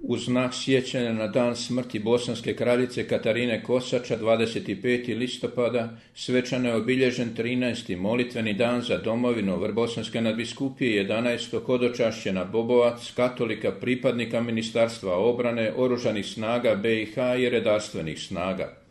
U znak sjećanja na dan smrti bosanske kraljice Katarine Kosača 25. listopada svečano je obilježen 13. molitveni dan za domovinu Bosanske nadbiskupije 11. hodočašćena Bobovac, katolika pripadnika Ministarstva obrane, Oružanih snaga BiH i redarstvenih snaga.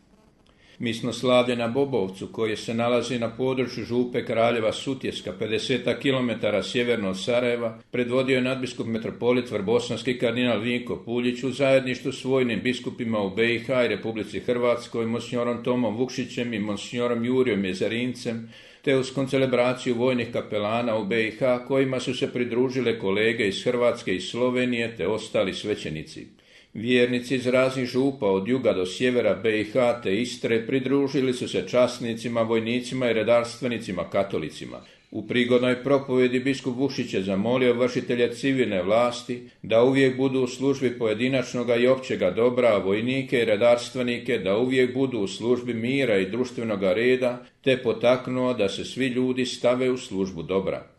Misno slavlje na Bobovcu, koje se nalazi na području župe Kraljeva Sutjeska, 50 km sjeverno od Sarajeva, predvodio je nadbiskup metropolit vrbosanski kardinal Vinko Puljić u zajedništvu s vojnim biskupima u BiH i Republici Hrvatskoj, monsignorom Tomom Vukšićem i monsignorom Jurijom Jezarincem, te uz koncelebraciju vojnih kapelana u BiH, kojima su se pridružile kolege iz Hrvatske i Slovenije te ostali svećenici. Vjernici iz raznih župa od juga do sjevera BiH te Istre pridružili su se časnicima, vojnicima i redarstvenicima katolicima. U prigodnoj propovjedi biskup Vukšić je zamolio vršitelje civilne vlasti da uvijek budu u službi pojedinačnoga i općega dobra, a vojnike i redarstvenike da uvijek budu u službi mira i društvenog reda, te potaknuo da se svi ljudi stave u službu dobra.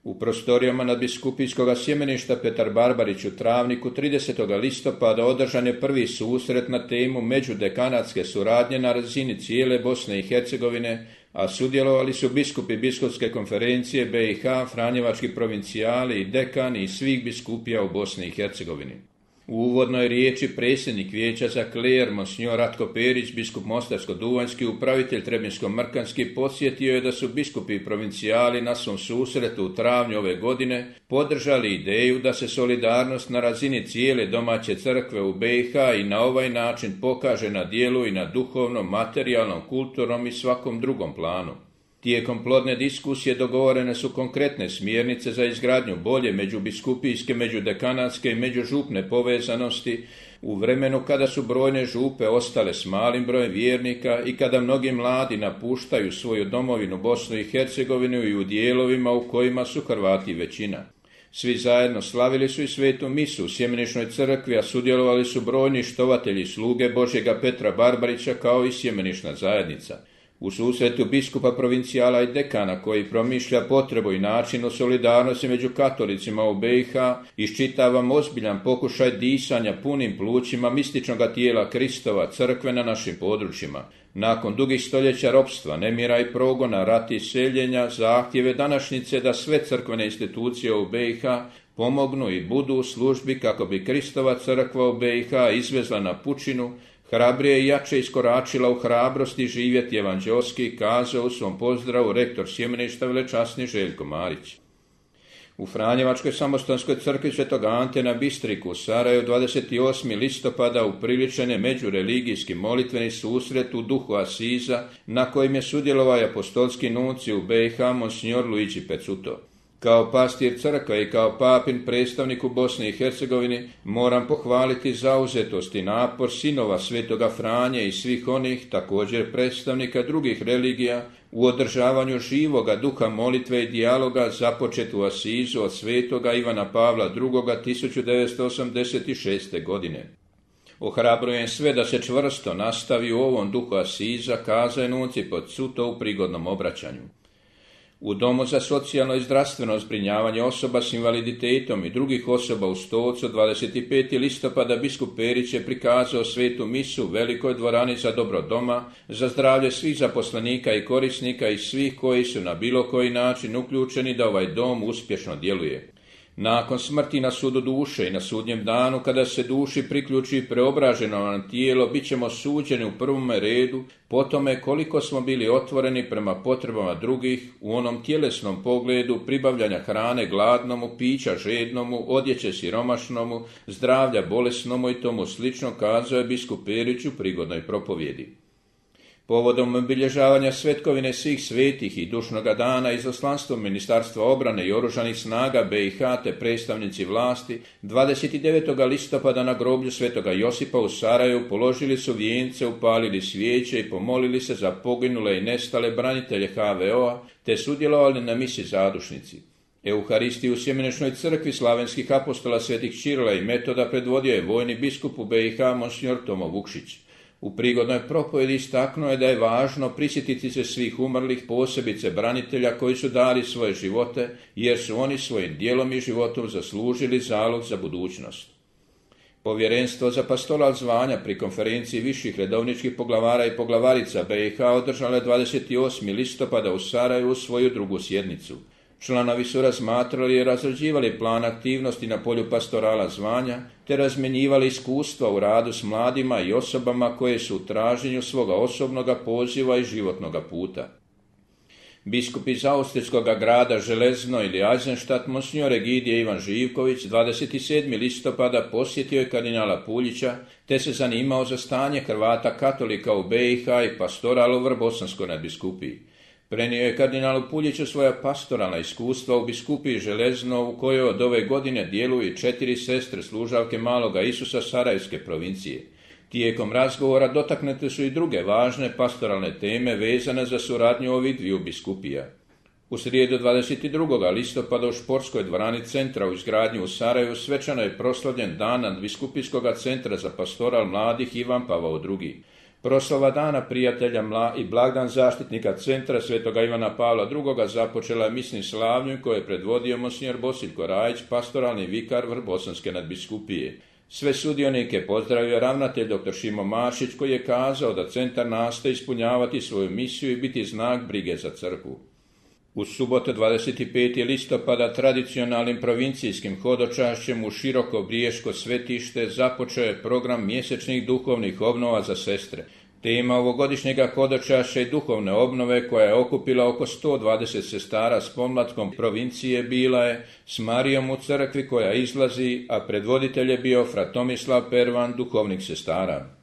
U prostorijama nadbiskupijskog sjemeništa Petar Barbarić u Travniku 30. listopada održan je prvi susret na temu međudekanatske suradnje na razini cijele Bosne i Hercegovine, a sudjelovali su biskupi biskupske konferencije BiH, franjevački provincijali i dekani iz svih biskupija u Bosni i Hercegovini. U uvodnoj riječi predsjednik vijeća za kler, monsinjor Ratko Perić, biskup Mostarsko-Duvanjski, upravitelj Trebinsko-Mrkanski, podsjetio je da su biskupi i provincijali na svom susretu u travnju ove godine podržali ideju da se solidarnost na razini cijele domaće crkve u BiH i na ovaj način pokaže na djelu i na duhovnom, materijalnom, kulturnom i svakom drugom planu. Tijekom plodne diskusije dogovorene su konkretne smjernice za izgradnju bolje međubiskupijske, međudekanatske i međužupne povezanosti u vremenu kada su brojne župe ostale s malim brojem vjernika i kada mnogi mladi napuštaju svoju domovinu Bosnu i Hercegovinu i u dijelovima u kojima su Hrvati većina. Svi zajedno slavili su i svetu misu u Sjemenišnoj crkvi, a sudjelovali su brojni štovatelji sluge Božjega Petra Barbarića kao i Sjemenišna zajednica. U susretu biskupa provincijala i dekana koji promišlja potrebu i način solidarnosti među katolicima u BiH iščitavam ozbiljan pokušaj disanja punim plućima mističnog tijela Kristova crkve na našim područjima. Nakon dugih stoljeća ropstva, nemira i progona, rata i seljenja, zahtjeve današnjice da sve crkvene institucije u BiH pomognu i budu u službi kako bi Kristova crkva u BiH izvezla na pučinu, hrabrije i jače iskoračila u hrabrosti živjeti evanđelski, kazao u svom pozdravu rektor sjemeništa velečasni Željko Marić. U Franjevačkoj samostanskoj crkvi Svetog Ante na Bistriku u Sarajevu 28. listopada upriličen je međureligijski molitveni susret u duhu Asiza, na kojem je sudjelovao apostolski nunci u BiH monsinjor Luigi Pezzuto. Kao pastir crkve i kao papin predstavnik u Bosni i Hercegovini moram pohvaliti zauzetost i napor sinova Svetoga Franje i svih onih, također predstavnika drugih religija, u održavanju živoga duha molitve i dijaloga započet u Asizu od Svetoga Ivana Pavla II. 1986. godine. Ohrabrujem sve da se čvrsto nastavi u ovom duhu Asiza, kaza je nunci Pezzuto u prigodnom obraćanju. U Domu za socijalno i zdravstveno zbrinjavanje osoba s invaliditetom i drugih osoba u Stocu 25. listopada biskup Perić je prikazao svetu misu u velikoj dvorani za dobro doma, za zdravlje svih zaposlenika i korisnika i svih koji su na bilo koji način uključeni da ovaj dom uspješno djeluje. Nakon smrti na sudu duše i na sudnjem danu, kada se duši priključi preobraženo nam tijelo, bit ćemo suđeni u prvome redu po tome koliko smo bili otvoreni prema potrebama drugih u onom tjelesnom pogledu pribavljanja hrane gladnomu, pića žednomu, odjeće siromašnomu, zdravlja bolesnomu i tomu slično, kazao je biskup Perić u prigodnoj propovjedi. Povodom obilježavanja svetkovine svih svetih i dušnoga dana izaslanstvom Ministarstva obrane i Oružanih snaga BiH te predstavnici vlasti 29. listopada na groblju Svetoga Josipa u Sarajevu položili su vijence, upalili svijeće i pomolili se za poginule i nestale branitelje HVO-a te sudjelovali na misi zadušnici. Euharistiju u Sjemenišnoj crkvi slavenskih apostola svetih Čirila i Metoda predvodio je vojni biskup u BiH monsinjor Tomo Vukšić. U prigodnoj propovjedi istaknuo je da je važno prisjetiti se svih umrlih, posebice branitelja koji su dali svoje živote, jer su oni svojim djelom i životom zaslužili zalog za budućnost. Povjerenstvo za pastoral zvanja pri konferenciji viših redovničkih poglavara i poglavarica BiH održalo je 28. listopada u Sarajevu svoju drugu sjednicu. Članovi su razmatrali i razrađivali plan aktivnosti na polju pastorala zvanja, te razmjenjivali iskustva u radu s mladima i osobama koje su u traženju svoga osobnoga poziva i životnoga puta. Biskup iz austrijskog grada Železno ili Eisenstadt, monsignor Egidije Ivan Živković, 27. listopada posjetio je kardinala Puljića, te se zanimao za stanje Hrvata katolika u BiH i pastoral u Vrbosanskoj nadbiskupiji. Prenio je kardinalu Puljiću svoja pastoralna iskustva u biskupiji Železno, u kojoj od ove godine djeluju 4 sestre služavke Maloga Isusa Sarajevske provincije. Tijekom razgovora dotaknute su i druge važne pastoralne teme vezane za suradnju ovih dviju biskupija. U srijedu 22. listopada u športskoj dvorani centra u izgradnji u Sarajevu svečano je proslavljen dan nadbiskupijskog centra za pastoral mladih Ivan Pavao II. Proslava dana prijatelja i blagdan zaštitnika centra Svetoga Ivana Pavla II. Započela je misnim slavljem koje je predvodio monsignor Bosiljko Rajić, pastoralni vikar Vrbosanske nadbiskupije. Sve sudionike pozdravio ravnatelj dr. Šimo Maršić, koji je kazao da centar nastoji ispunjavati svoju misiju i biti znak brige za crkvu. U subotu 25. listopada tradicionalnim provincijskim hodočašćem u Široko Briješko svetište započeo je program mjesečnih duhovnih obnova za sestre. Tema ovogodišnjega hodočašća i duhovne obnove, koja je okupila oko 120 sestara s pomlatkom provincije, bila je "S Marijom u crkvi koja izlazi", a predvoditelj je bio fra Tomislav Pervan, duhovnik sestara.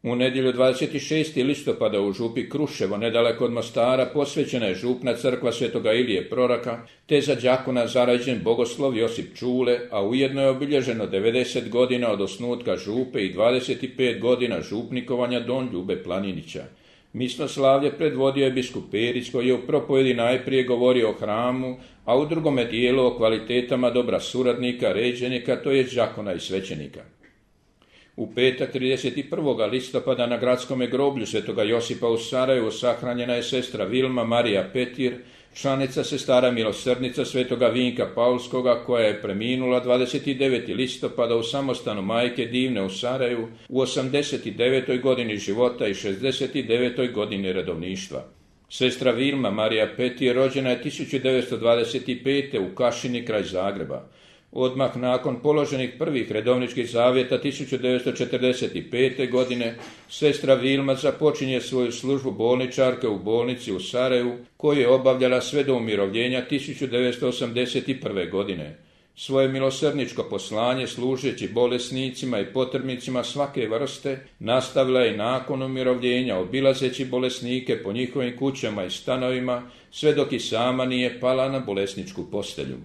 U nedjelju 26. listopada u župi Kruševo, nedaleko od Mostara, posvećena je župna crkva Svetoga Ilije Proroka, te za đakona zarađen bogoslov Josip Čule, a ujedno je obilježeno 90 godina od osnutka župe i 25 godina župnikovanja don Ljube Planinića. Misno slavlje predvodio je biskup Perić, koji je u propovjedi najprije govorio o hramu, a u drugome dijelu o kvalitetama dobra suradnika, ređenika, to je đakona i svećenika. U petak 31. listopada na gradskome groblju Svetoga Josipa u Sarajevu sahranjena je sestra Vilma Marija Petir, članica sestara milosrdnica Svetoga Vinka Paulskoga, koja je preminula 29. listopada u samostanu Majke Divne u Sarajevu u 89. godini života i 69. godini redovništva. Sestra Vilma Marija Petir rođena je 1925. u Kašini kraj Zagreba. Odmah nakon položenih prvih redovničkih zavjeta 1945. godine sestra Vilma započinje svoju službu bolničarke u bolnici u Sarajevu, koju je obavljala sve do umirovljenja 1981. godine. Svoje milosrdničko poslanje služeći bolesnicima i potrebnicima svake vrste nastavila je nakon umirovljenja, obilazeći bolesnike po njihovim kućama i stanovima, sve dok i sama nije pala na bolesničku postelju.